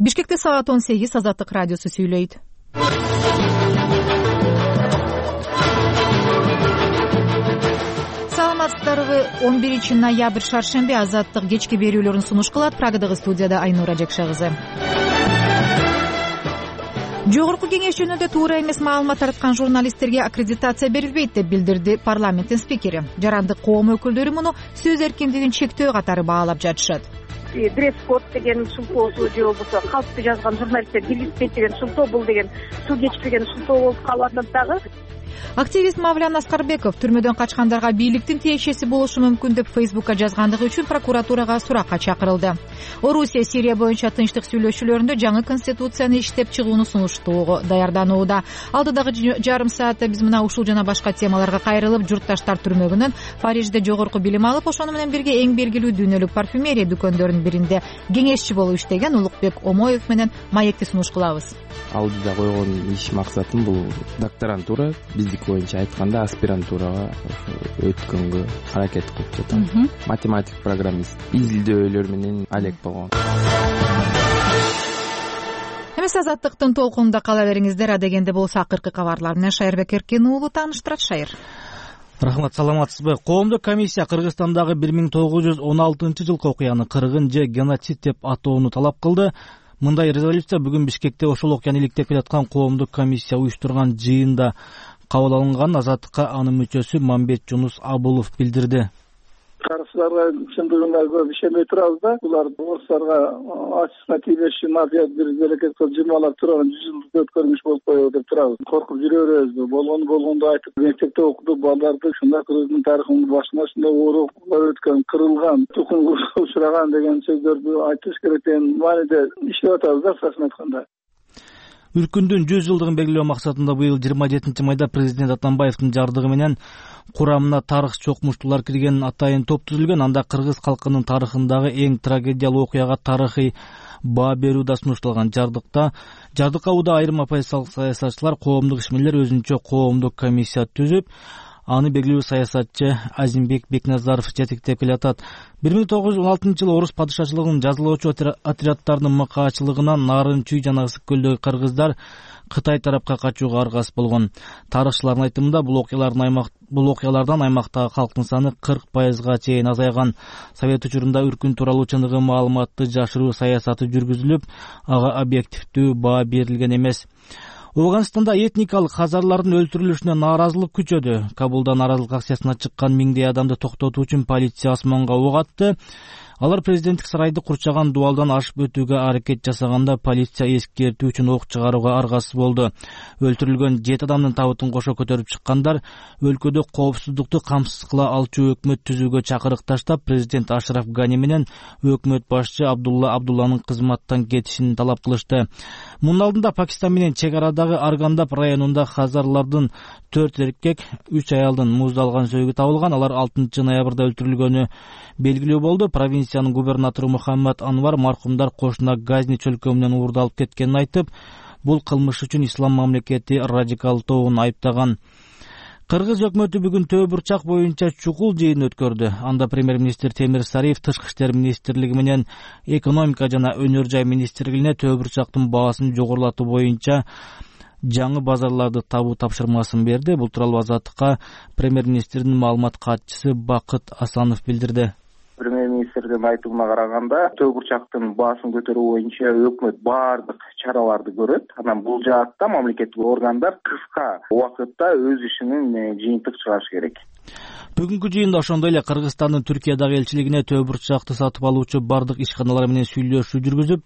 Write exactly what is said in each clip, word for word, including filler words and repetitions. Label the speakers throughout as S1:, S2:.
S1: Бишкекте саат он сегиз Азаттык радиосу сүйлөйт. Саламатсыздарбы? он биринчи ноябрь шаршемби Азаттык кечки берүүлөрүн сунуш кылат. Прагадагы студияда Айнура Жекше кызы. Жогорку кеңеш жөнүндө туура эмес маалымат тараткан журналисттерге аккредитация берилбейт деп билдирди парламенттин спикери. Жарандык коом өкүлдөрү муну сөз эркиндигин чектөө катары баалап жатышат.
S2: Дресс-код деген шылтоосу же болбосо калпты жазган журналисттер киргизбейт деген шылтоо, бул деген суу кечпеген шылтоо болуп калып атат дагы.
S1: Активист Мавлян Аскарбеков түрмөдөн качкандарга бийликтин тиешеси болушу мүмкүн деп Фейсбукка жазгандыгы үчүн прокуратурага суракка чакырылды. Орусия Сирия боюнча тынчтык сүйлөшүүлөрүндө жаңы конституцияны иштеп чыгууну сунуштоого даярданууда. Алдыдагы жарым саатта биз мына ушул жана башка темаларга кайрылып, журтташтар түрмөгүнөн Парижде жогорку билим алып, ошону менен бирге эң белгилүү дүйнөлүк парфюмерия дүкөндөрүнүн биринде кеңешчи болуп иштеген Улукбек Омоев менен маекти сунуш кылабыз.
S3: Алдыда койгон иш максатым бул докторантура, биздики боюнча айтканда аспирантурага өткөнгө аракет кылып жатам. Математик, программист, изилдөөлөр менен алек болгон.
S1: Эмес Азаттыктын толкунунда кала бериңиздер. Адегенде болсо акыркы кабарлар менен Шайырбек Эркин уулу тааныштырат. Шайыр.
S4: Рахмат, саламатсызбы? Коомдук комиссия Кыргызстандагы бир миң тогуз жүз он алтынчы жылкы окуяны кыргын же геноцид деп атоону талап кылды. Мындай резолюция бүгүн Бишкекте ошол окуяны иликтеп келаткан коомдук комиссия уюштурган жыйында кабыл алынган. Азаттыкка анын мүчөсү Мамбет Жунус Абулов билдирди.
S5: Каршыларга чындыгында көп ишенбей турабыз да. Булар орустарга ачысына тийбеши мафия бир аракет кылып жырмалап турган жүз жылдык өткөрмүш болуп коебу деп турабыз. Коркуп жүрө беребизби? Болгону болгондо айтып, мектепте окутуп балдарды ушундай Кыргыздын тарыхынын башында ушундай оор окуялар өткөн, кырылган, тукумга учураган деген сөздөрдү айтыш керек деген мааниде иштеп атабыз да, кыскасын айтканда.
S4: Үркүндүн жүз жылдыгын белгилөө максатында быйыл жыйырма жетинчи майда президент Атамбаевдин жардыгы менен курамына тарых чокмуштуулар кирген атайын топ түзүлгөн. Анда кыргыз калкынын тарыхындагы эң трагедиялуу окуяга тарыхый баа берүү да сунушталган. Жардыкта жардыкка ууда айрым оппозициялык саясатчылар, коомдук ишмерлер өзүнчө коомдук комиссия түзүп, аны белгилүү саясатчы Азимбек Бекназаров жетектеп келатат. бир миң тогуз жүз он алтынчы жылы орус падышачылыгынын жазалоочу отрядтарынын макаачылыгынан Нарын Чүй жана Ысык көлдөгү кыргыздар Кытай тарапка качууга аргас болгон. Тарыхчылардын айтымында бул окуялардын аймак бул окуялардан аймактагы калктын саны кырк пайызга чейин азайган. Совет учурунда Үркүн тууралуу чыныгы маалыматты жашыруу саясаты жүргүзүлүп, ага объективдүү баа берилген эмес. Афганистанда этникалык хазарлардын өлтүрүлүшүнө нааразылык күчөдү. Кабулда нааразылык акциясына чыккан миңдей адамды токтотуу үчүн полиция асманга ок атты. Алар президенттик сарайды курчаган дубалдан ашып өтүүгө аракет жасаганда полиция эскертүү үчүн ок чыгарууга аргасыз болду. Өлтүрүлгөн жети адамдын табытын кошо көтөрүп чыккандар өлкөдө коопсуздукту камсыз кыла алчу өкмөт түзүүгө чакырык таштап, президент Ашраф Гани менен өкмөт башчы Абдулла Абдулланын кызматтан кетишин талап кылышты. Мунун алдында Пакистан менен чек арадагы Аргандап районунда хазарлардын төрт эркек, үч аялдын муздалган сөөгү табылган. Алар алтынчы ноябрда өлтүрүлгөнү белгилүү болду. Провинциянын губернатору Мухаммад Анвар маркумдар кошуна Газни чөлкөмүнөн уурдалып кеткенин айтып, бул кылмыш үчүн ислам мамлекети радикалдоогун айыптаган. Кыргыз өкмөтү бүгүн Төө бурчак боюнча чукул жыйын өткөрдү. Анда премьер-министр Темир Сариев Тышкы иштер министрлиги менен экономика жана өнөр жай министрлигине Төө бурчактын баасын жогорулатуу боюнча жаңы базарларды табуу тапшырмасын берди. Бул тууралуу Азаттыкка премьер-министрдин маалымат катчысы Бакыт Асанов билдирди.
S6: Премьер-министрдин айтымына караганда, Төө бурчактын баасын көтөрүү боюнча өкмөт баардык чараларды көрөт. Анан бул жаатта мамлекеттик органдар кыска убакытта өз ишинин жыйынтык чыгарышы керек.
S4: Бүгүнкү жыйында ошондой эле Кыргызстандын Түркиядагы элчилигине Төө бурчакты сатып алуучу бардык ишканалар менен сүйлөшүү жүргүзүп,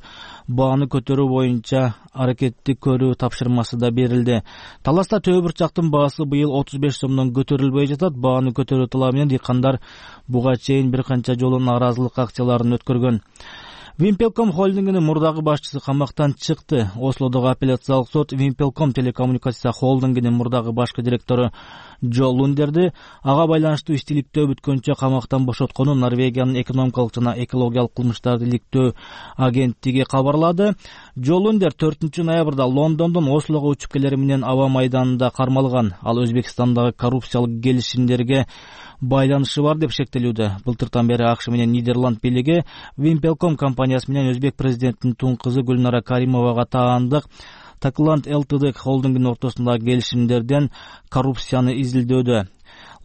S4: бааны көтөрүү боюнча аракетти көрүү тапшырмасы да берилди. Таласта Төө бурчактын баасы быйыл отуз беш сомдон көтөрүлбөй жатат. Бааны көтөрүү талабы менен дыйкандар буга чейин бир канча жолу нааразылык акцияларын өткөргөн. Вимпелком холдингинин мурдагы башчысы камактан чыкты. Ослодогу апелляциялык сот Вимпелком телекоммуникация холдингинин мурдагы башкы директору Джо Лундерди ага байланыштуу иштиликтөө бүткөнчө камактан бошотконун Норвегиянын экономикалык жана экологиялык кылмыштарды иликтөө агенттиги кабарлады. Джо Лундер төртүнчү ноябрда Лондондон Ослого учуп келери менен аба майданында кармалган. Ал Өзбекстандагы коррупциялык келишимдерге байланышы бар деп шектелүүдө. Былтыртан бери АКШ менен Нидерланд бийлиги Wimpelcom компаниясы менен өзбек президентинин тун кызы Гүлнара Каримовага таандык Такланд Ltd холдингинин ортосундагы келишимдерден коррупцияны изилдөөдө.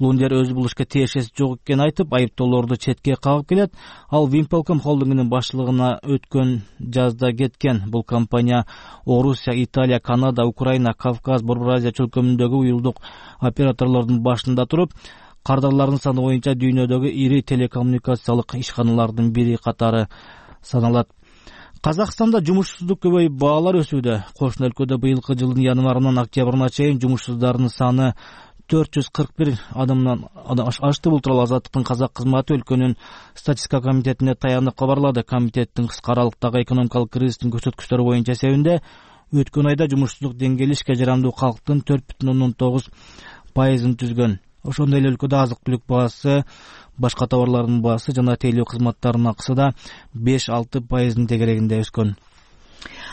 S4: Лундер өз булушка тиешеси жок экенин айтып, айыптоолорду четке кагып келет. Ал Wimpelcom холдингинин башлыгына өткөн жазда кеткен. Бул компания Орусия, Италия, Канада, Украина, Кавказ, Борбор Азия чөлкөмүндөгү уюлдук операторлордун башында туруп, кардарлардын саны боюнча дүйнөдөгү ири телекоммуникациялык ишканалардын бири катары саналат. Казакстанда жумушсуздук көбөйүп, баалар өсүүдө. Кошуна өлкөдө быйылкы жылдын январынан октябрына чейин жумушсуздардын саны төрт жүз кырк бир адамдан ашты. Бул тууралуу Азаттыктын казак кызматы өлкөнүн статистика комитетине таянып кабарлады. Комитеттин кыска аралыктагы экономикалык кризистин көрсөткүчтөрү боюнча эсебинде өткөн айда жумушсуздук деңгээли ишке жарамдуу калктын төрт бүтүн ондон тогуз пайызын түзгөн. Ошондой эле өлкөдө азык-түлүк баасы, башка товарлардын баасы жана тейлөө кызматтарынын акысы да беш алты пайыздын тегерегинде өскөн.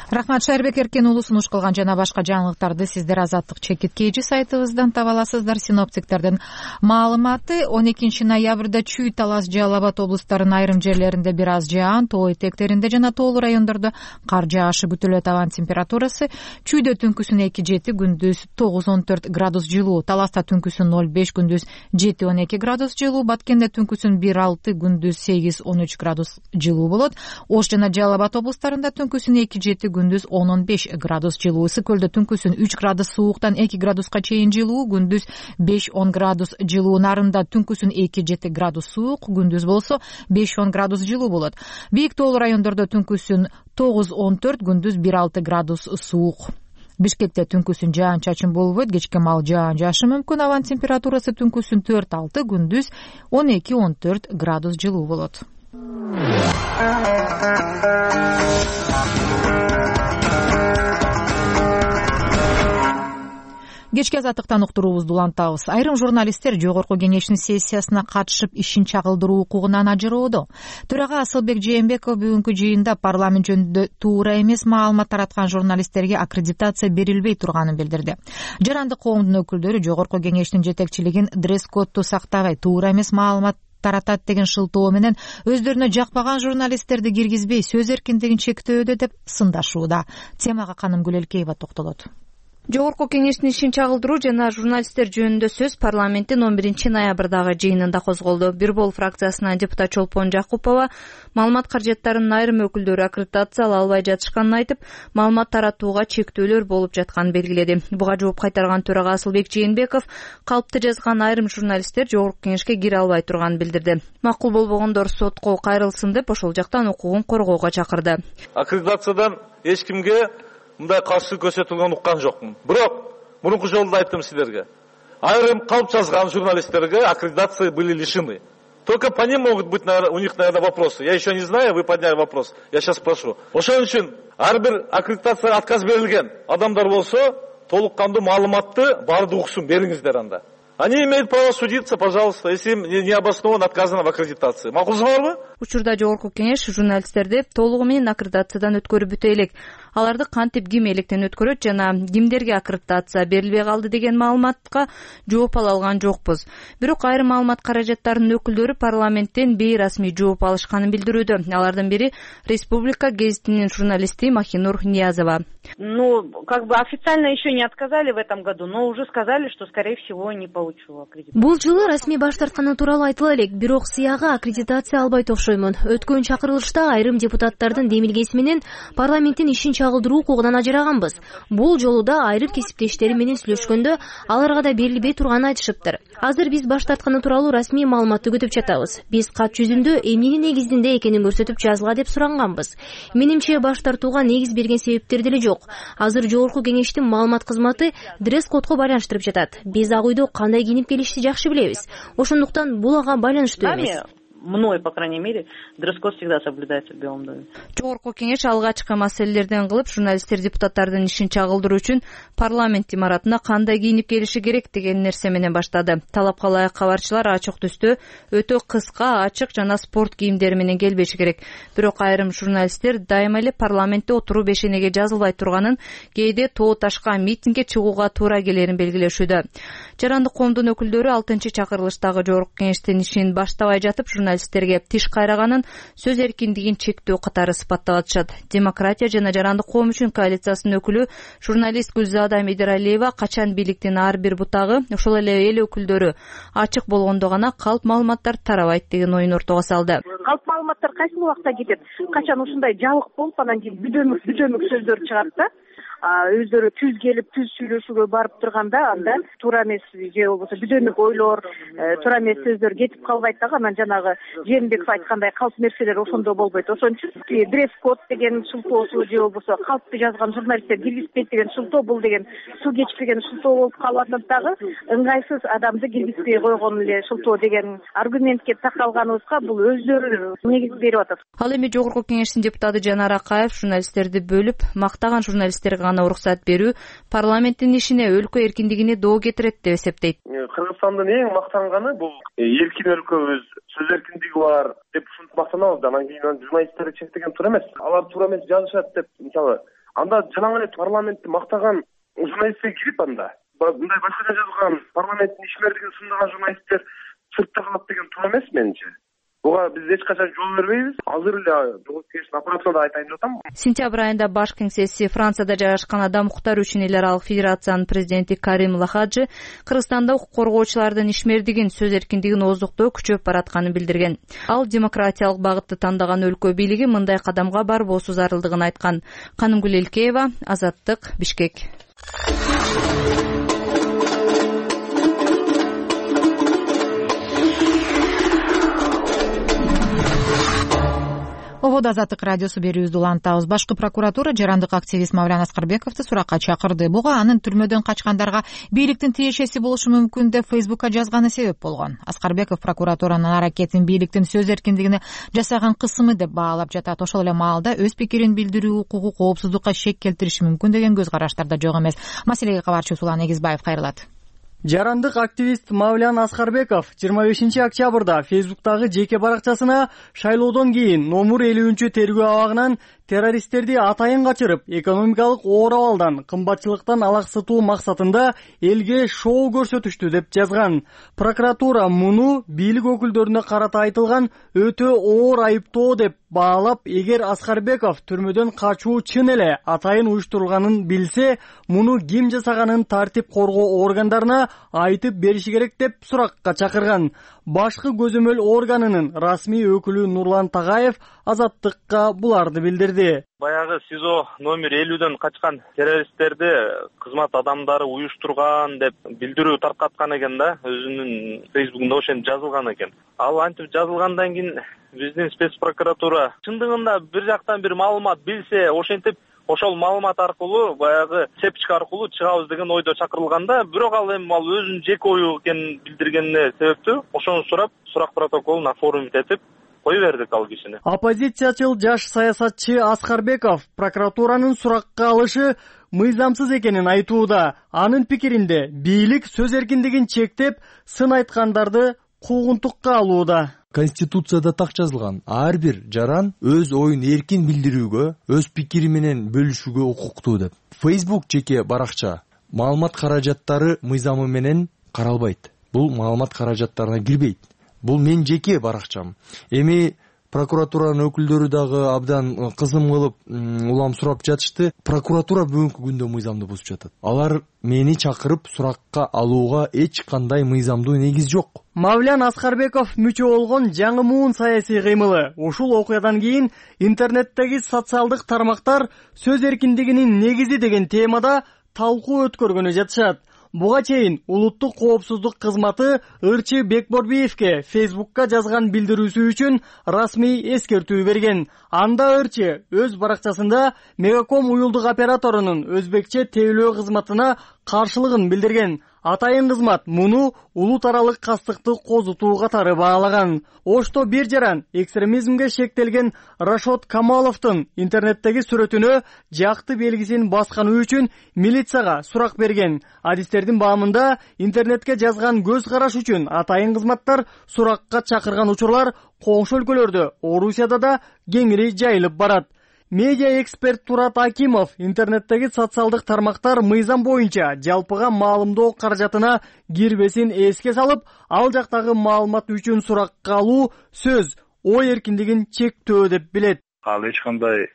S1: Рахмат, Шайырбек Эркен уулу сунуш кылган жана башка жаңылыктарды сиздер Азаттык чекит кейжи сайтыбыздан таба аласыздар. Синоптиктердин маалыматы: он экинчи ноябрда Чүй, Талас, Жалал Абад облустарынын айрым жерлеринде бир аз жаан, тоо этектеринде жана тоолуу райондордо кар жаашы күтүлөт. Абанын температурасы: Чүйдө түнкүсүн эки жети, күндүз тогуз он төрт градус жылуу, Таласта түнкүсүн ноль беш, күндүз жети он эки градус жылуу, Баткенде түнкүсүн бир алты, күндүз сегиз он үч градус жылуу болот. Ош жана Жалал Абад облустарында түнкүсүн эки жети, күндүз он он беш градус жылуу. Ысык көлдө түнкүсүн үч градус сууктан эки градуска чейин жылуу, күндүз беш он градус жылуу. Нарында түнкүсүн эки жети градус суук, күндүз болсо беш он градус жылуу болот. Бийик тоолуу райондордо түнкүсүн тогуз он төрт, күндүз бир алты градус суук. Бишкекте түнкүсүн жаан чачын болбойт, кечке маал жаан жаашы мүмкүн. Абанын температурасы түнкүсүн төрт алты, күндүз он эки он төрт градус жылуу болот. Кечки Азаттыктан уктуруубузду улантабыз. Айрым журналисттер Жогорку Кеңештин сессиясына катышып ишин чагылдыруу укугунан ажыроодо. Төрага Асылбек Жээнбеков бүгүнкү жыйында парламент жөнүндө туура эмес маалымат тараткан журналисттерге аккредитация берилбей турганын билдирди. Жарандык коомдун өкүлдөрү Жогорку Кеңештин жетекчилигин дресс-кодду сактабай, туура эмес маалымат таратат деген шылтоо менен өздөрүнө жакпаган журналисттерди киргизбей сөз эркиндигин чектөөдө деп сындашууда. Темага Канымгүл Элкеева токтолот.
S7: Жогорку Кеңештин ишин чагылдыруу жана журналисттер жөнүндө сөз парламенттин он биринчи ноябрдагы жыйынында козголду. Бир бол фракциясынан депутат Чолпон Жакупова маалымат каражаттарынын айрым өкүлдөрү аккредитация ала албай жатышканын айтып, маалымат таратууга чектөөлөр болуп жатканын белгиледи. Буга жооп кайтарган төрага Асылбек Жээнбеков калпты жазган айрым журналисттер Жогорку Кеңешке кире албай турганын билдирди. Макул болбогондор сотко кайрылсын деп ошол жактан укугун коргоого чакырды.
S8: Аккредитациядан эч кимге мындай каршылык көрсөтүлгөнүн уккан жокмун. Бирок мурунку жолу да айттым силерге. Айрым калп жазган журналисттерге аккредитации были лишены. Только по ним могут быть, наверное, у них, наверное, вопросы. Я еще не знаю, вы подняли вопрос. Я сейчас спрошу. Ошон үчүн ар бир аккредитация отказ берилген адамдар болсо, толук кандуу маалыматты баарды уксун, бериңиздер анда. Они имеют право судиться, пожалуйста, если им не обосновано отказано в аккредитации. Макулсуңарбы?
S7: Учурда Жогорку Кеңеш журналисттерди толугу менен аккредитациядан өткөрүп бүтө элек. Аларды кантип ким электен өткөрөт жана кимдерге аккредитация берилбей калды деген маалыматка жооп ала алган жокпуз. Бирок айрым маалымат каражаттарынын өкүлдөрү парламенттен бейрасмий жооп алышканын билдирүүдө. Алардын бири Республика гезитинин журналисти Махинур Ниязова.
S2: Ну, как бы официально еще не отказали в этом году, но уже сказали, что, скорее всего, не получу аккредитацию.
S9: Бул жылы расмий баш тартканы тууралуу айтыла элек, бирок сыяга аккредитация албайт окшоймун. Өткөн чакырылышта айрым депутаттардын демилгеси менен парламенттин ишин чагылдыруу укугунан ажыраганбыз. Бул жолу да айрым кесиптештери менен сүйлөшкөндө аларга да берилбей турганын айтышыптыр. Азыр биз баш тартканы тууралуу расмий маалыматты күтүп жатабыз. Биз кат жүзүндө эмненин негизинде экенин көрсөтүп жазгыла деп суранганбыз. Менимче баш тартууга негиз берген себептер деле жок. Азыр Жогорку Кеңештин маалымат кызматы дресс-кодго байланыштырып жатат. Биз ак үйдө кандай кийинип келишти жакшы билебиз. Ошондуктан бул ага байланыштуу эмес.
S10: мной, по крайней мере, дресс-код всегда соблюдается в Белом доме.
S7: Жогорку кеңеш алгачкы маселелерден кылып, журналисттер депутаттардын ишин чагылдыруу үчүн парламент имаратына кандай кийинип келиши керек деген нерсе менен баштады. Талапка ылайык кабарчылар ачык түстө, өтө кыска, ачык жана спорт кийимдери менен келбеши керек. Бирок айрым журналисттер дайыма эле парламентте отуруу бешенеге жазылбай турганын, кээде тоо ташка митингге чыгууга туура келерин белгилешүүдө. Жарандык коомдун өкүлдөрү алтынчы чакырылыштагы жогорку кеңештин ишин баштабай жатып журналисттерге тиш кайраганын сөз эркиндигин чектөө катары сыпаттап атышат. Демократия жана жарандык коом үчүн коалициясынын өкүлү журналист Гүлзада Медералиева качан бийликтин ар бир бутагы, ошол эле эл өкүлдөрү ачык болгондо гана калп маалыматтар тарабайт деген оюн ортого салды.
S2: Калп маалыматтар кайсы убакта кетет? Качан ушундай жалык болуп анан кийин бүдөмүк бүдөмүк сөздөр чыгат да. Өздөрү түз келип түз сүйлөшүүгө барып турганда анда туура эмес же болбосо бүдөмүк ойлор, туура эмес сөздөр кетип калбайт дагы. Анан жанагы Жээнбеков айткандай калп нерселер ошондо болбойт. Ошон үчүн дресс-код деген шылтоосу же болбосо калпты жазган журналисттер киргизбейт деген шылтоо, бул деген суу кечпеген шылтоо болуп калып атат дагы. Ыңгайсыз адамды киргизбей койгон эле шылтоо деген аргументке такалганыбызга бул өздөрү негиз берип атат.
S7: Ал эми жогорку кеңештин депутаты Жанар Акаев журналисттерди бөлүп, мактаган журналисттерге гана уруксат берүү парламенттин ишине, өлкө эркиндигине доо кетирет деп эсептейт.
S11: Кыргызстандын эң мактанганы бул эркин өлкөбүз, сөз эркиндиги бар деп ушинтип мактанабыз. Анан кийин журналисттерди чектеген туура эмес. Алар туура эмес жазышат деп, мисалы, анда жалаң эле парламентти мактаган журналистке кирип анда мындай башкача жазган парламенттин ишмердигин сындаган журналисттер сыртта калат деген туура эмес менимче. Буга биз эч качан жол бербейбиз. Азыр эле жогорку кеңештин аппаратына да айтайын деп атам.
S7: Сентябрь айында баш кеңсеси Францияда жайгашкан Адам укуктары үчүн эл аралык федерациянын президенти Карим Лахаджи Кыргызстанда укук коргоочулардын ишмердигин, сөз эркиндигин ооздуктоо күчөп баратканын билдирген. Ал демократиялык багытты тандаган өлкө бийлиги мындай кадамга барбоосу зарылдыгын айткан. Канымгүл Элкеева, Азаттык, Бишкек.
S1: Ободо Азаттык радиосу берүүбүздү улантабыз. Башкы прокуратура жарандык активист Мавлян Аскарбековду суракка чакырды. Буга анын түрмөдөн качкандарга бийликтин тиешеси болушу мүмкүн деп Фейсбукка жазганы себеп болгон. Аскарбеков прокуратуранын аракетин бийликтин сөз эркиндигине жасаган кысымы деп баалап жатат. Ошол эле маалда өз пикирин билдирүү укугу коопсуздукка шек келтириши мүмкүн деген көз караштар да жок эмес. Маселеге кабарчыбыз Улан Эгизбаев кайрылат.
S12: Жарандык активист Мавлян Аскарбеков жыйырма бешинчи октябрда Фейсбуктагы жеке баракчасына шайлоодон кийин номер элүүнчү тергөө абагынан террористтерди атайын качырып, экономикалык оор абалдан, кымбатчылыктан алаксытуу максатында элге шоу көрсөтүштү деп жазган. Прокуратура муну бийлик өкүлдөрүнө карата айтылган өтө оор айыптоо деп баалап, эгер Аскарбеков түрмөдөн качуу чын эле атайын уюштурулганын билсе, муну ким жасаганын тартип коргоо органдарына айтып бериши керек деп суракка чакырган. Башкы көзөмөл органынын расмий өкүлү Нурлан Тагаев Азаттыкка буларды билдирди.
S13: Баягы СИЗО номер элүүдөн качкан террористтерди кызмат адамдары уюштурган деп билдирүү таркаткан экен да, өзүнүн Фейсбукунда ошентип жазылган экен. Ал антип жазылгандан кийин биздин спецпрокуратура чындыгында бир жактан бир маалымат билсе, ошентип ошол маалымат аркылуу баягы цепочка аркылуу чыгабыз деген ойдо чакырылганда, бирок ал эми ал өзүнүн жеке ою экенин билдиргенине себептүү ошону сурап, сурак протоколун оформить этип кое бердик ал кишини.
S12: Оппозициячыл жаш саясатчы Аскарбеков прокуратуранын суракка алышы мыйзамсыз экенин айтууда. Анын пикиринде бийлик сөз эркиндигин чектеп, сын айткандарды куугунтукка алууда.
S14: Конституцияда так жазылган, ар бир жаран өз оюн эркин билдирүүгө, өз пикири менен бөлүшүүгө укуктуу деп. Facebook жеке баракча маалымат каражаттары мыйзамы менен каралбайт. Бул маалымат каражаттарына кирбейт. Бул мен жеке баракчам. Эми прокуратуранын өкүлдөрү дагы абдан кызым кылып улам сурап жатышты. Прокуратура бүгүнкү күндө мыйзамды бузуп жатат. Алар мени чакырып суракка алууга эч кандай мыйзамдуу негиз жок.
S12: Мавлян Аскарбеков мүчө болгон жаңы муун саясий кыймылы. Ушул окуядан кийин интернеттеги социалдык тармактар сөз эркиндигинин негизи деген темада талкуу өткөргөнү жатышат. Буга чейин улуттук коопсуздук кызматы Ырчы Бекборбиевке Фейсбукка жазган билдирүүсү үчүн расмий эскертүү берген. Анда Ырчы өз баракчасында Мегаком уюлдук операторунун өзбекче тейлөө кызматына каршылыгын билдирген. атайын кызмат муну улут аралык кастыкты козутуу катары баалаган. Ошто бир жаран экстремизмге шектелген Рашод Камаловдун интернеттеги сүрөтүнө жакты белгисин басканы үчүн милицияга сурак берген. Адистердин баамында интернетке жазган көз караш үчүн атайын кызматтар суракка чакырган учурлар коңшу өлкөлөрдө, Орусияда да кеңири жайылып барат. Медиа эксперт Турат Акимов интернеттеги социалдык тармактар мыйзам боюнча жалпыга маалымдоо каражатына кирбесин эске салып, ал жактагы маалымат үчүн суракка алуу сөз, ой эркиндигин чектөө деп билет.
S15: Ал эч кандай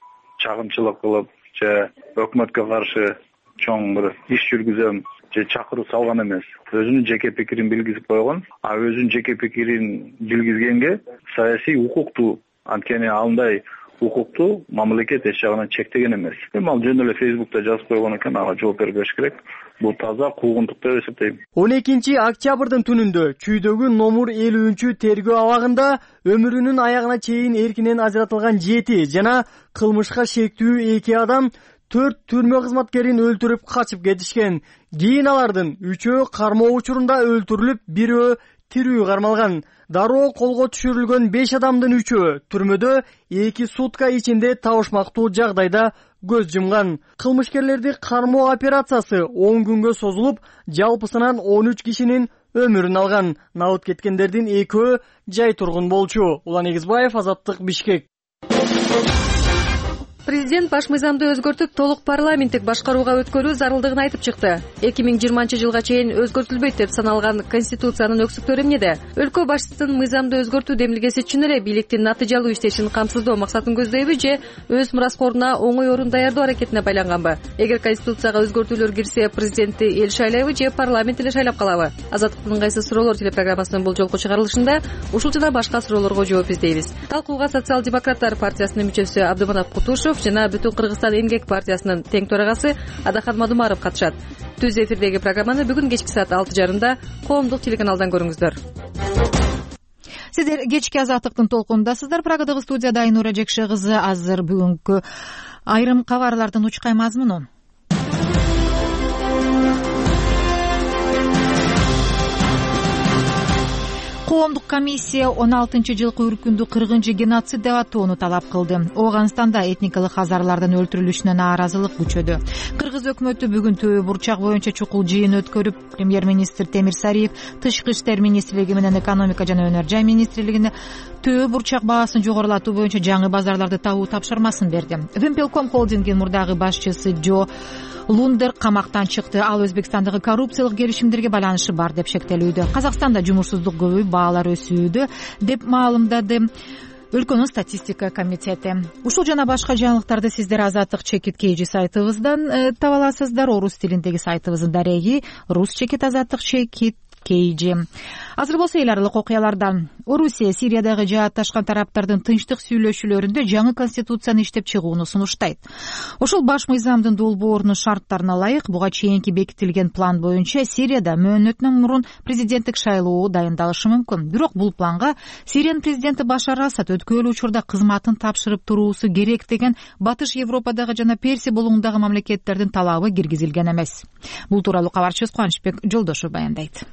S15: чагымчылык кылып же өкмөткө каршы чоң бир иш жүргүзөм же чакыруу салган эмес. Өзүнүн жеке пикирин билгизип койгон, а өзүнүн жеке пикирин билгизгенге саясий укуктуу, анткени андай укукту мамлекет эч жагынан чектеген эмес. Эми ал жөн эле Фейсбукта жазып койгон экен, ага жооп бербеш керек. Бул таза куугунтук деп эсептейм.
S12: он экинчи октябрдын түнүндө Чүйдөгү номер элүүнчү тергөө абагында өмүрүнүн аягына чейин эркинен ажыратылган жети жана кылмышка шектүү эки адам төрт түрмө кызматкерин өлтүрүп качып кетишкен. Кийин алардын үчөө кармоо учурунда өлтүрүлүп, бирөө тирүү кармалган. Дароо колго түшүрүлгөн беш адамдын үчөө түрмөдө эки сутка ичинде табышмактуу жагдайда көз жумган. Кылмышкерлерди кармоо операциясы он күнгө созулуп, жалпысынан он үч кишинин өмүрүн алган. Набыт кеткендердин экөө жай тургун болчу. Улан Эгизбаев, Азаттык, Бишкек.
S7: Президент баш мыйзамды өзгөртүп, толук парламенттик башкарууга өткөрүү зарылдыгын айтып чыкты. эки миң жыйырманчы жылга чейин өзгөртүлбөйт деп саналган Конституциянын өксүктөрү эмнеде? Өлкө башчысынын мыйзамды өзгөртүү демилгеси чын эле бийликтин натыйжалуу иштешин камсыздоо максатын көздөйбү же өз мураскоруна оңой орун даярдоо аракетине байланганбы? Эгер Конституцияга өзгөртүүлөр кирсе, президентти эл шайлайбы же парламент эле шайлап калабы? Азаттыктын кайсы суроолор телепрограммасынын бул жолку чыгарылышында ушул жана башка суроолорго жооп издейбиз. Талкууга социал-демократтар партиясынын мүчөсү Абдыманап Кутушев жана Бүтүн Кыргызстан эмгек партиясынын тең төрагасы Адахан Мадумаров катышат. Түз эфирдеги программаны бүгүн кечки саат алты жарымда коомдук телеканалдан көрүңүздөр.
S1: Сиздер кечки Азаттыктын толкунундасыздар. Прагадагы студияда Айнура Жекше кызы. Азыр бүгүнкү айрым кабарлардын учкай мазмуну. Коомдук комиссия он алтынчы жылкы үркүндү кыргынчы геноцид деп атоону талап кылды. Ооганстанда этникалык хазарлардын өлтүрүлүшүнө нааразылык күчөдү. Кыргыз өкмөтү бүгүн Түбө бурчак боюнча чукул жыйын өткөрүп, премьер-министр Темир Сариев Тышкы иштер министрлиги менен экономика жана өнөр жай министрлигине Түбө бурчак баасын жогорулатуу боюнча жаңы базарларды табуу тапшырмасын берди. Вимпелком холдингинин мурдагы башчысы Джо Лундер камактан чыкты. Ал Өзбекстандагы коррупциялык келишимдерге байланышы бар деп шектелүүдө. Казакстанда жумушсуздук көбөйүп, баалар өсүүдө деп маалымдады өлкөнүн статистика комитети. Ушул жана башка жаңылыктарды сиздер Азаттык чекит кейжи сайтыбыздан таба аласыздар. Орус тилиндеги сайтыбыздын дареги рус чекит азаттык чекит кейжи. Азыр болсо эл аралык окуялардан. Орусия Сириядагы жаатташкан тараптардын тынчтык сүйлөшүүлөрүндө жаңы конституцияны иштеп чыгууну сунуштайт. Ошол баш мыйзамдын долбоорунун шарттарына ылайык буга чейинки бекитилген план боюнча Сирияда мөөнөтүнөн мурун президенттик шайлоо дайындалышы мүмкүн. Бирок бул планга Сириянын президенти Башар Асад өткөрүлүү учурда кызматын тапшырып туруусу керек деген Батыш Европадагы жана Персия булуңундагы мамлекеттердин талабы киргизилген эмес. Бул тууралуу кабарчыбыз Кубанычбек Жолдошов баяндайт.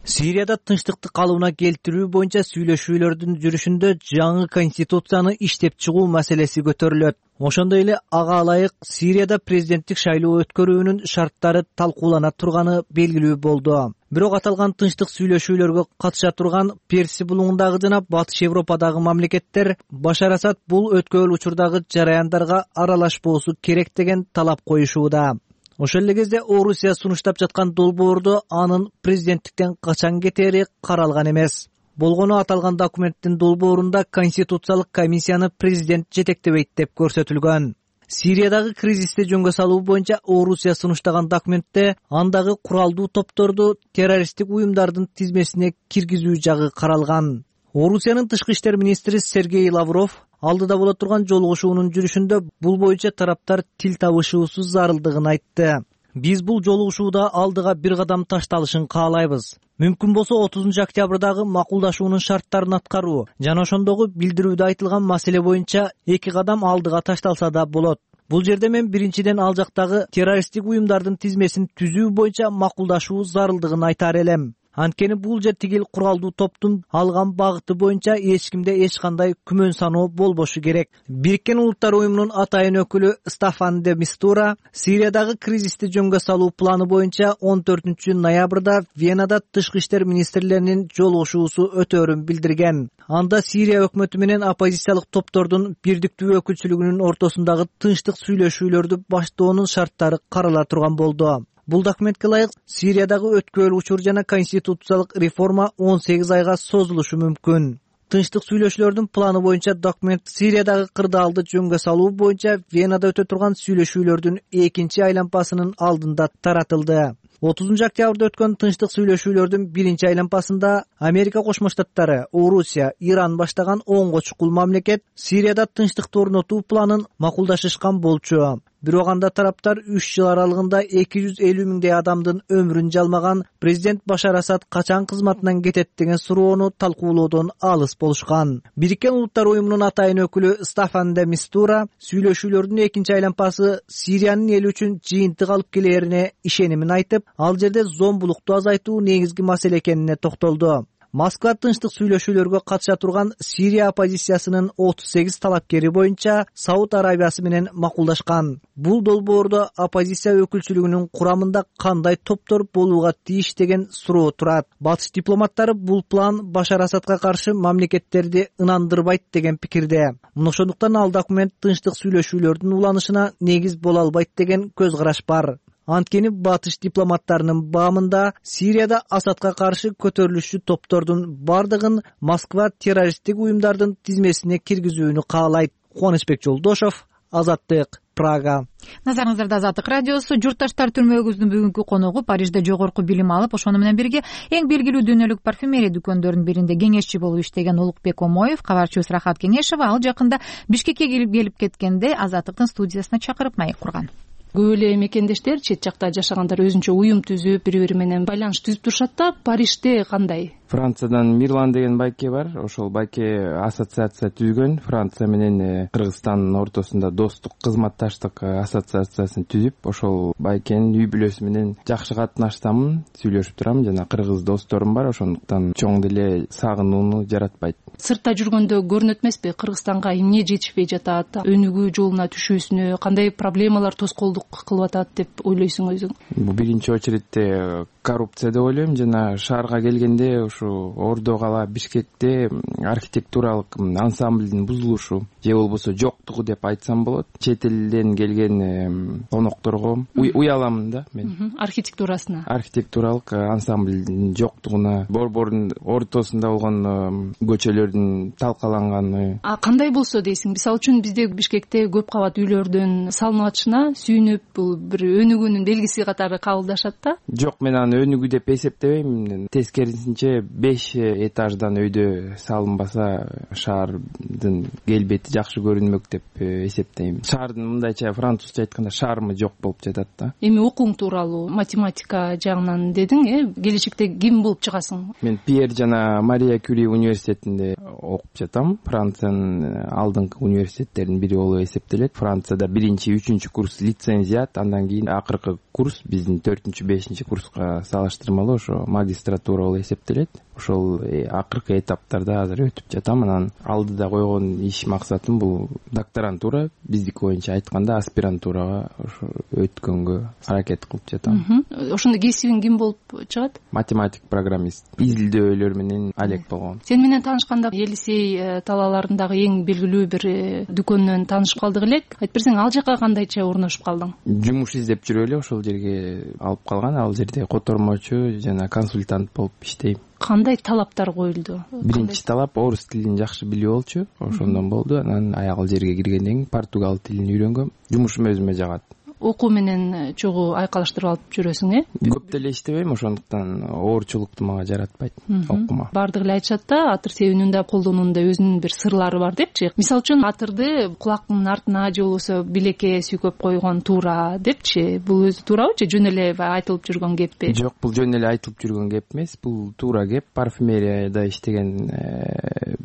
S4: Сирияда тынчтыкты калыбына келтирүү боюнча сүйлөшүүлөрдүн жүрүшүндө жаңы конституцияны иштеп чыгуу маселеси көтөрүлөт. Ошондой эле ага ылайык Сирияда президенттик шайлоо өткөрүүнүн шарттары талкуулана турганы белгилүү болду. Бирок аталган тынчтык сүйлөшүүлөргө катыша турган Персия булуңундагы жана Батыш Европадагы мамлекеттер Башар Асад бул өткөрүл учурдагы жараяндарга аралашпоосу керек деген талап коюшууда. Ошол эле кезде Орусия сунуштап жаткан долбоордо анын президенттиктен качан кетери каралган эмес. Болгону аталган документтин долбоорунда Конституциялык комиссияны президент жетектебейт деп көрсөтүлгөн. Сириядагы кризисти жөнгө салуу боюнча Орусия сунуштаган документте андагы куралдуу топторду террористтик уюмдардын тизмесине киргизүү жагы каралган. Орусиянын тышкы иштер министри Сергей Лавров алдыда боло турган жолугушуунун жүрүшүндө бул боюнча тараптар тил табышуусу зарылдыгын айтты. Биз бул жолугушууда алдыга бир кадам ташталышын каалайбыз. Мүмкүн болсо отузунчу октябрдагы макулдашуунун шарттарын аткаруу жана ошондогу билдирүүдө айтылган маселе боюнча эки кадам алдыга ташталса да болот. Бул жерде мен биринчиден ал жактагы террористтик уюмдардын тизмесин түзүү боюнча макулдашуу зарылдыгын айтар элем. Анткени бул жер тигил куралдуу топтун алган багыты боюнча эч кимде эч кандай күмөн саноо болбошу керек. Бириккен Улуттар уюмунун атайын өкүлү Стаффан де Мистура Сириядагы кризисти жөнгө салуу планы боюнча он төртүнчү ноябрда Венада тышкы иштер министрлеринин жолугушуусу өтөөрүн билдирген. Анда Сирия өкмөтү менен оппозициялык топтордун бирдиктүү өкүлчүлүгүнүн ортосундагы тынчтык сүйлөшүүлөрдү баштоонун шарттары карала турган болду. Бул документке ылайык Сириядагы өткөрүл учур жана конституциялык реформа он сегиз айга созулушу мүмкүн. Тынчтык сүйлөшүүлөрдүн планы боюнча документ Сириядагы кырдаалды жөнгө салуу боюнча Венада өтө турган сүйлөшүүлөрдүн экинчи айлампасынын алдында таратылды. отузунчу октябрда өткөн тынчтык сүйлөшүүлөрдүн биринчи айлампасында Америка Кошмо Штаттары, Орусия, Иран баштаган онго чукул мамлекет Сирияда тынчтыкты орнотуу планын макулдашышкан болчу. Бирок анда тараптар үч жыл аралыгында эки жүз элүү миңдей адамдын өмүрүн жалмаган президент Башар Асад качан кызматынан кетет деген суроону талкуулоодон алыс болушкан. Бириккен Улуттар уюмунун атайын өкүлү Стаффан де Мистура сүйлөшүүлөрдүн экинчи айлампасы Сириянын эли үчүн жыйынтык алып келээрине ишенимин айтып, ал жерде зомбулукту азайтуу негизги маселе экенине токтолду. Москва тынчтык сүйлөшүүлөргө катыша турган Сирия оппозициясынын отуз сегиз талапкери боюнча Сауд Арабиясы менен макулдашкан. Бул долбоордо оппозиция өкүлчүлүгүнүн курамында кандай топтор болууга тийиш деген суроо турат. Батыш дипломаттары бул план Башар Асадка каршы мамлекеттерди ынандырбайт деген пикирде. Ошондуктан ал документ тынчтык сүйлөшүүлөрдүн уланышына негиз боло албайт деген көз караш бар. Анткени батыш дипломаттарынын баамында Сирияда Асадка каршы көтөрүлүшчү топтордун бардыгын Москва террористтик уюмдардын тизмесине киргизүүнү каалайт. Кубанычбек Жолдошов, Азаттык, Прага.
S1: Назарыңыздарда Азаттык радиосу. Журтташтар, түрмөгүбүздүн бүгүнкү коногу Парижде жогорку билим алып, ошону менен бирге эң белгилүү дүйнөлүк парфюмерия дүкөндөрүнүн биринде кеңешчи болуп иштеген Улукбек Омоев. Кабарчыбыз Рахат Кеңешова ал жакында Бишкекке келип келип кеткенде Азаттыктын студиясына чакырып маек курган.
S16: Көп эле мекендештер чет жакта жашагандар өзүнчө уюм түзүп, бири-бири менен байланыш түзүп турушат да. Парижде кандай?
S3: Франциядан Мирлан деген байке бар. Ошол байке ассоциация түзгөн. Франция менен Кыргызстандын ортосунда достук, кызматташтык ассоциациясын түзүп, ошол байкенин үй бүлөсү менен жакшы катнашсам, сүйлөшүп турам. Жана кыргыз досторум бар, ошондуктан чоң деле сагынууну жаратпайт.
S16: Сыртта жүргөндө көрүнөт эмеспи? Кыргызстанга эмне жетишпей жатат, өнүгүү жолуна түшүүсүнө кандай проблемалар тоскоолдук кылып атат деп ойлойсуң өзүң?
S3: Бул биринчи очередте коррупция деп ойлойм. Жана шаарга келгенде ушу Ордо кала Бишкекте архитектуралык ансамблдин бузулушу же болбосо жоктугу деп айтсам болот. Чет элден келген конокторго уяламын да мен.
S16: Архитектурасына.
S3: Архитектуралык ансамблдин жоктугуна, борбордун ортосунда болгон көчөлөрдүн талкаланганы.
S16: А кандай болсо дейсиң? Мисалы үчүн бизде Бишкекте көп кабат үйлөрдүн салынып атышына сүйүнүп, бул бир өнүгүүнүн белгиси катары кабылдашат да?
S3: Жок, мен аны өнүгүү деп эсептебейм. Тескерисинче беш этаждан өйдө салынбаса шаардын келбети жакшы көрүнмөк деп эсептейм. Шаардын мындайча французча айтканда шармы жок болуп жатат да.
S16: Эми окууң тууралуу математика жагынан дедиң, э? Келечекте ким болуп чыгасың?
S3: Мен Пьер жана Мария Кюри университетинде окуп жатам. Франциянын алдыңкы университеттеринин бири болуп эсептелет. Францияда биринчи, үчүнчү курс лицензиат, андан кийин акыркы курс биздин төртүнчү, бешинчи курска салыштырмалуу ошо магистратура болуп эсептелет. Ошол акыркы этаптарда азыр өтүп жатам. Анан алдыда койгон иш максатым бул докторантура, биздики боюнча айтканда аспирантурага ошо өткөнгө аракет кылып жатам.
S16: Ошондо кесибиң ким болуп чыгат?
S3: Математик, программист. Изилдөөлөр менен алек болгон.
S16: Сен менен таанышканда Елисей талааларындагы эң белгилүү бир дүкөндөн таанышып калдык элек. Айтып берсең, ал жака кандайча орношуп калдың?
S3: Жумуш издеп жүрүп эле ошол жерге алып калган. Ал жерде котормочу жана консультант болуп иштейм.
S16: Кандай талаптар коюлду?
S3: Биринчи талап орус тилин жакшы билүү болчу. Ошондон болду. Анан аягыл жерге киргенден кийин португал тилин үйрөнгөм. Жумушум өзүмө жагат.
S16: окуу менен чогуу айкалыштырып алып жүрөсүң э
S3: көп деле иштебейм, ошондуктан оорчулукту мага жаратпайт окума.
S16: Баардыгы эле айтышат да атыр себүүнүн да колдонуунда өзүнүн бир сырлары бар депчи. Мисалы үчүн атырды кулактын артына же болбосо билекке сүйкөп койгон туура депчи. Бул өзү туурабы же жөн эле айтылып жүргөн кеппи?
S3: Жок, бул жөн эле айтылып жүргөн кеп эмес, бул туура кеп. Парфюмерияда иштеген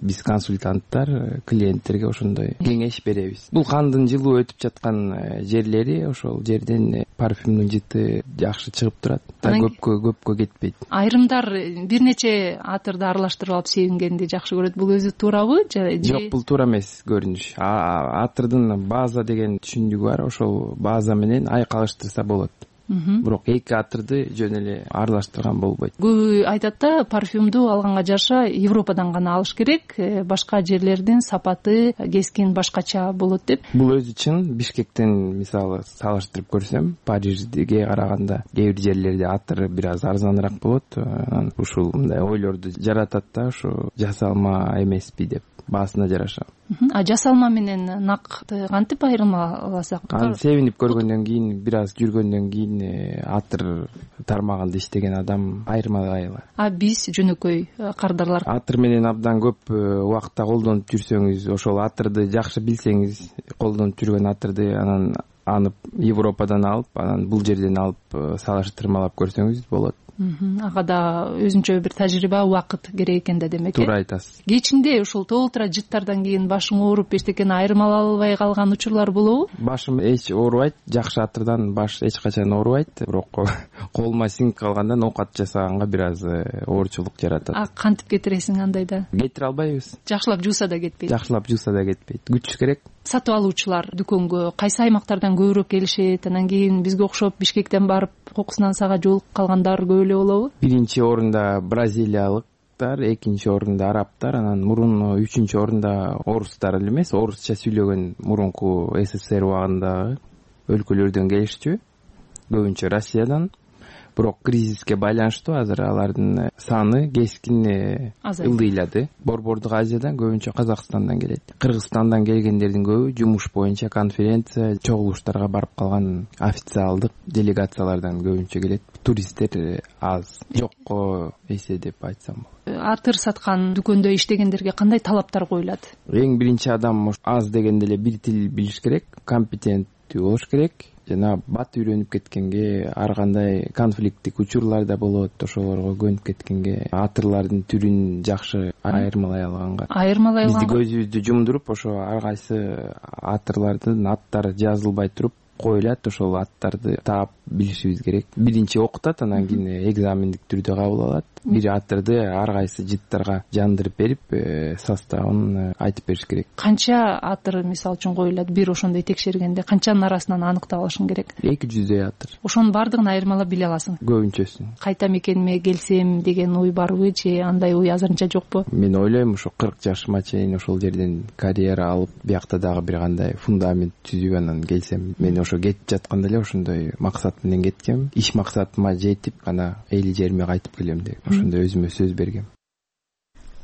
S3: биз консультанттар клиенттерге ошондой кеңеш беребиз. Бул кандын жылуу өтүп жаткан жерлери, ошол жерден парфюмдун жыты жакшы чыгып турат да, көпкө көпкө кетпейт.
S16: Айрымдар бир нече атырды аралаштырып алып себингенди жакшы көрөт. Бул өзү туурабы же?
S3: Жок, бул туура эмес көрүнүш. Атырдын база деген түшүндүгү бар, ошол база менен айкалыштырса болот. Бирок эки атырды жөн эле аралаштырган болбойт.
S16: Көбү айтат да, парфюмду алганга жараша Европадан гана алыш керек, башка жерлердин сапаты, кескин башкача болот деп.
S3: Бул өзү чын. Бишкектен мисалы салыштырып көрсөм, Парижге караганда кээ бир жерлерде атыр бир аз арзаныраак болот. Ушул мындай ойлорду жаратат да, ушу жасалма эмеспи деп баасына жараша.
S16: А жасалма менен накты кантип айырма аласак?
S3: Аны себинип көргөндөн кийин, бир аз жүргөндөн кийин атыр тармагында иштеген адам айырмалай алат.
S16: А биз жөнөкөй кардарлар
S3: атыр менен абдан көп убакытта колдонуп жүрсөңүз, ошол атырды жакшы билсеңиз, колдонуп жүргөн атырды анан аны Европадан алып, анан бул жерден алып салыштырмалап көрсөңүз болот.
S16: Ага да өзүнчө бир тажрыйба, убакыт керек экен да демек.
S3: Туура айтасыз.
S16: Кечинде ушул толтура жыттардан кийин башың ооруп эчтекени айырмалай албай калган учурлар болобу?
S3: Башым эч оорубайт, жакшы атырдан баш эч качан оорубайт, бирок колума сиңип калганда оокат жасаганга бир аз оорчулук жаратат.
S16: А кантип кетиресиң андайда?
S3: Кетире албайбыз.
S16: Жакшылап жууса да кетпейт.
S3: Жакшылап жууса да кетпейт. Күч керек.
S16: Сатып алуучулар дүкөнгө кайсы аймактардан көбүрөөк келишет? Анан кийин бизге окшоп Бишкектен барып кокусунан сага жолугуп калгандар көп эле болобу?
S3: Биринчи орунда бразилиялыктар, экинчи орунда арабтар, анан мурун үчүнчү орунда орустар эле эмес, орусча сүйлөгөн мурунку СССР убагындагы өлкөлөрдөн келишчү, көбүнчө Россиядан. Бирок кризиске байланыштуу азыр алардын саны кескин ылдыйлады. Борбордук Азиядан, көбүнчө Казакстандан келет. Кыргызстандан келгендердин көбү жумуш боюнча конференция, чогулуштарга барып калган официалдык делегациялардан көбүнчө келет. Туристтер аз, жокко эсе деп айтсам болот.
S16: Атыр саткан дүкөндө иштегендерге кандай талаптар коюлат?
S3: Эң биринчи адам аз дегенде эле бир тил билиш керек, компетенттүү болуш керек. Жана бат үйрөнүп кеткенге, ар кандай конфликттик учурлар да болот, ошолорго көнүп кеткенге, атырлардын түрүн жакшы айырмалай алганга.
S16: Айырмалай алганга.
S3: Бизди көзүбүздү жумдуруп, ошо ар кайсы атырлардын аттары жазылбай туруп коюлат, ошол аттарды таап билишибиз керек. Биринчи окутат, анан кийин экзамендик түрдө кабыл алат. Бир атырды ар кайсы жыттарга жандырып берип, составын айтып бериш керек.
S16: Канча атыр мисалы үчүн коюлат? Бир ошондой текшергенде канчанын арасынан аныктап алышың керек?
S3: эки жүздөй атыр.
S16: Ошонун баардыгын айырмалап биле аласың?
S3: Көбүнчөсүн.
S16: Кайта мекениме келсем деген ой барбы же андай ой азырынча жокпу?
S3: Мен ойлойм, ошо кырк жашыма чейин ошол жерден карьера алып, биякта дагы бир кандай фундамент түзүп анан келсем, мен ошо кетип жатканда эле ошондой максат менен кеткем. Иш максатыма жетип, гана эл жериме кайтып келем деп ошондой өзүмө сөз бергем.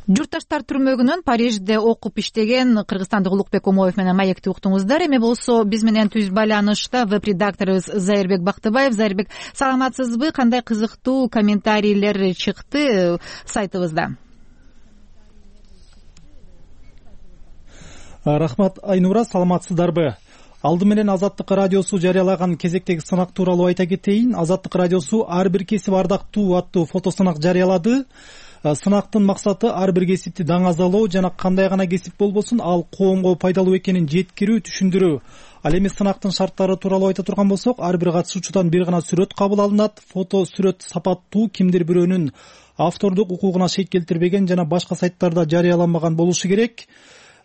S1: Журтташтар түрмөгүнөн Парижде окуп иштеген кыргызстандык Улукбек Омоев менен маекти уктуңуздар. Эми болсо биз менен түз байланышта веб-редакторубуз Зайырбек Бактыбаев. Зайырбек, саламатсызбы? Кандай кызыктуу комментарийлер чыкты сайтыбызда?
S17: Рахмат Айнура, саламатсыздарбы? Алды менен Азаттык радиосу жарыялаган кезектеги сынак тууралуу айта кетейин. Азаттык радиосу ар бир кесип ардактуу аттуу фотосынак жарыялады. Сынактын максаты ар бир кесипти даңазалоо жана кандай гана кесип болбосун ал коомго пайдалуу экенин жеткирүү, түшүндүрүү. Ал эми сынактын шарттары тууралуу айта турган болсок, ар бир катышуучудан бир гана сүрөт кабыл алынат. Фото сүрөт сапаттуу, кимдир бирөөнүн автордук укугуна шек келтирбеген жана башка сайттарда жарыяланбаган болушу керек.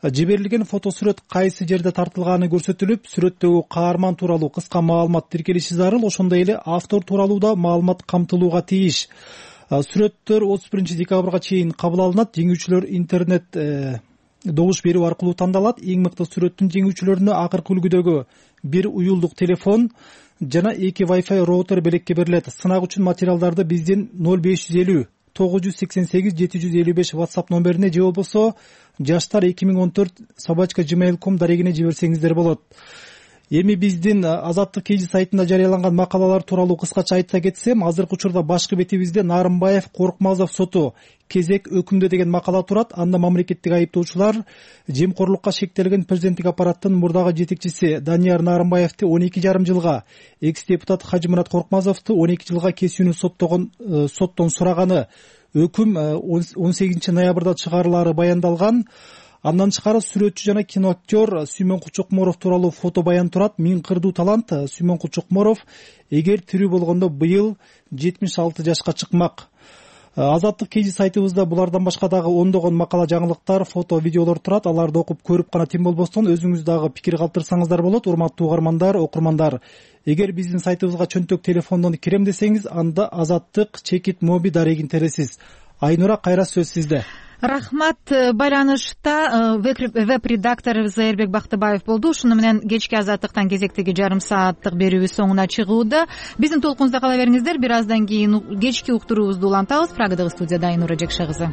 S17: Жиберилген фотосүрөт кайсы жерде тартылганы көрсөтүлүп, сүрөттөгү каарман тууралуу кыска маалымат тиркелиши зарыл, ошондой эле автор тууралуу да маалымат камтылууга тийиш. Сүрөттөр отуз биринчи декабрга чейин кабыл алынат. Жеңүүчүлөр интернет добуш берүү аркылуу тандалат. Эң мыкты сүрөттүн жеңүүчүлөрүнө акыркы үлгүдөгү бир уюлдук телефон жана эки Wi-Fi роутер белекке берилет. Сынак үчүн материалдарды биздин ноль беш жүз элүү тогуз жүз сексен сегиз жети жүз элүү беш WhatsApp номерине же болбосо жаштар эки миң он төрт собачка gmail точка com дарегине жиберсеңиздер болот. эми биздин Азаттык кей сайтында жарыяланган макалалар тууралуу кыскача айта кетсем, азыркы учурда башкы бетибизде Нарымбаев Коркмазов соту кезек өкүмдө деген макала турат. Анда мамлекеттик айыптоочулар жемкорлукка шектелген президенттик аппараттын мурдагы жетекчиси Данияр Нарымбаевди он эки жарым жылга, экс депутат Хажымурат Коркмазовду он эки жылга кесүүнү соттогон соттон сураганы, өкүм он сегизинчи ноябрда чыгарылары баяндалган. Андан тышкары сүрөтчү жана киноактер Сүймөн Кучукморов тууралуу фото баян турат. Миң кырдуу талант Сүймөн Кучукморов эгер тирүү болгондо быйыл жетимиш алты жашка чыкмак. Азаттык кей сайтыбызда булардан башка дагы ондогон макала, жаңылыктар, фото, видеолор турат. Аларды окуп көрүп гана тим болбостон өзүңүз дагы пикир калтырсаңыздар болот. Урматтуу угармандар, окурмандар, эгер биздин сайтыбызга чөнтөк телефондон кирем десеңиз, анда Азаттык чекит моби дарегин тересиз. Айнура, кайра сөз сизде.
S1: Рахмат. Байланышта веб-редактор Зайырбек Бактыбаев болду. Ушуну менен кечки Азаттыктан кезектеги жарым сааттык берүүбүз соңуна чыгууда. Биздин толкунубузда кала бериңиздер. Бир аздан кийин кечки уктуруубузду улантабыз. Прагадагы студияда Айнура Жекше кызы.